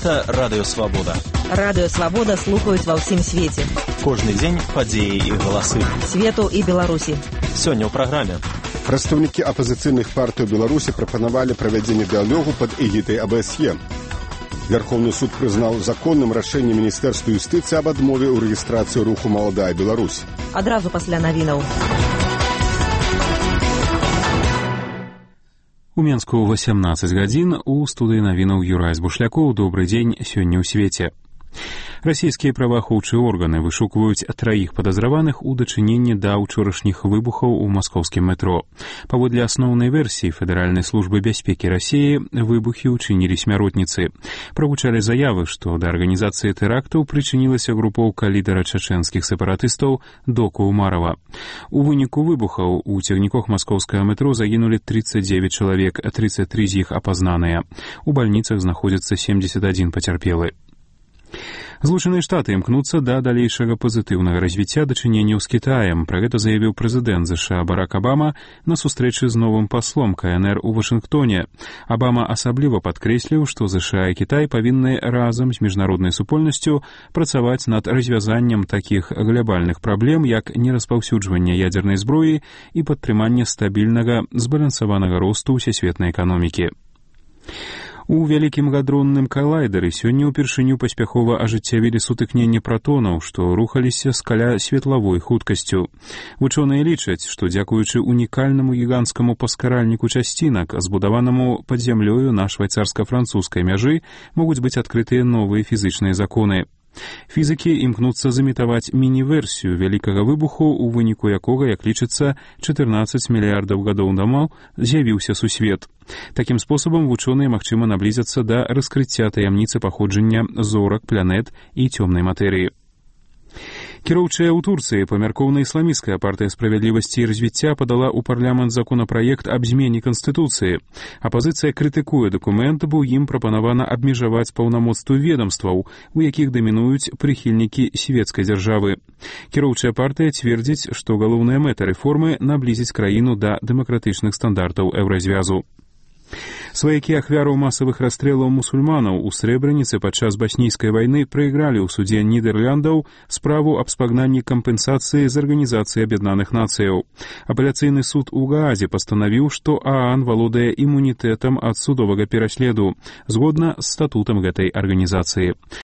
Гэта Радыё Свабода. Радыё Свабода слухаюць ва ўсім свеце. Кожны дзень падзеі і галасы. Свету і Беларусі. Сёння ў праграме. Прадстаўнікі апазіцыйных партый Беларусі прапанавалі правядзенне дыялогу пад эгідай АБСЕ. Верховны суд прызнаў законным рашэнне Міністэрства юстыцыі аб адмове ў рэгістрацыі руху «Маладая Беларусь». Адразу пасля навінаў. У Менску 18 гадзін, у студыі навінаў Юрай Збушлякоў. Добры дзень, сёння ў свеце. Расійскія праваахоўчыя органы вышукваюць 3 падазраваных у дачыненні да ўчорашніх выбухаў у маскоўскім метро. Паводле асноўнай версіі Федэральнай службы бяспекі Расіі, выбухі ўчынілі смяротніцы. Прагучалі заявы, што да арганізацыі тэрактаў прычынілася групоўка лідара чачэнскіх сепаратыстаў Доку Умарова. У выніку выбухаў у цягніках маскоўскага метро загінулі 39 чалавек, 33 з іх апазнаныя. У бальніцах знаходзіцца 71 пацярпелы. Злучаныя Штаты імкнуцца да далейшага пазітыўнага развіцця дачыненняў з Кітаем. Пра гэта заявіў прэзідэнт ЗША Барак Абама на сустрэчы з новым паслом КНР у Вашынгтоне. Абама асабліва падкрэсліў, што ЗША і Кітай павінны разам з міжнароднай супольнасцю працаваць над развязаннем такіх глобальных праблем, як нераспаўсюджванне ядзернай зброі і падтрыманне стабільнага, збалансаванага росту ўсесветнай эканомікі. У вялікім гадронным калайдары сёння ўпершыню паспяхова ажыццявілі сутыкненне пратонаў, што рухаліся з каля светлавой хуткасцю. Вучоныя лічаць, што дзякуючы унікальнаму гіганцкаму паскаральніку часцінак, збудаванаму пад зямлёю на швайцарска-французскай мяжы, могуць быць адкрытыя новыя фізычныя законы. Фізікі імкнуцца замітаваць міні-версію вялікага выбуху, у выніку якога, як лічыцца, 14 мільярдаў гадоў таму з'явіўся сусвет. Такім спосабам вучоныя магчыма наблізяцца да раскрыцця таямніцы паходжання зорак, планет і цёмнай матэрыі. Кіроўчая ў Турцыі памяркоўна-ісламісцкая партыя справядлівасці і развіцця падала ў парламент законапраект аб змене Канстытуцыі. Апазіцыя крытыкуе дакумент, бо ім прапанавана абмежаваць паўнамоцтвы ведамстваў, у якіх дамінуюць прыхільнікі свецкай дзяржавы. Кіроўчая партыя цвердзіць, што галоўная мэта рэформы наблізіць краіну да дэмакратычных стандартаў еўразвязу. Сваякі ахвяраў масавых расстрэлаў мусульманаў у Срэбраніцы падчас баснійскай вайны прайгралі ў судзе Нідэрляндаў справу аб спагнанні кампенсацыі з Арганізацыі Аб'яднаных Нацыяў. Апеляцыйны суд у Гаазе пастанавіў, што ААН валодае імунітэтам ад судовага пераследу, згодна з статутам гэтай арганізацыі.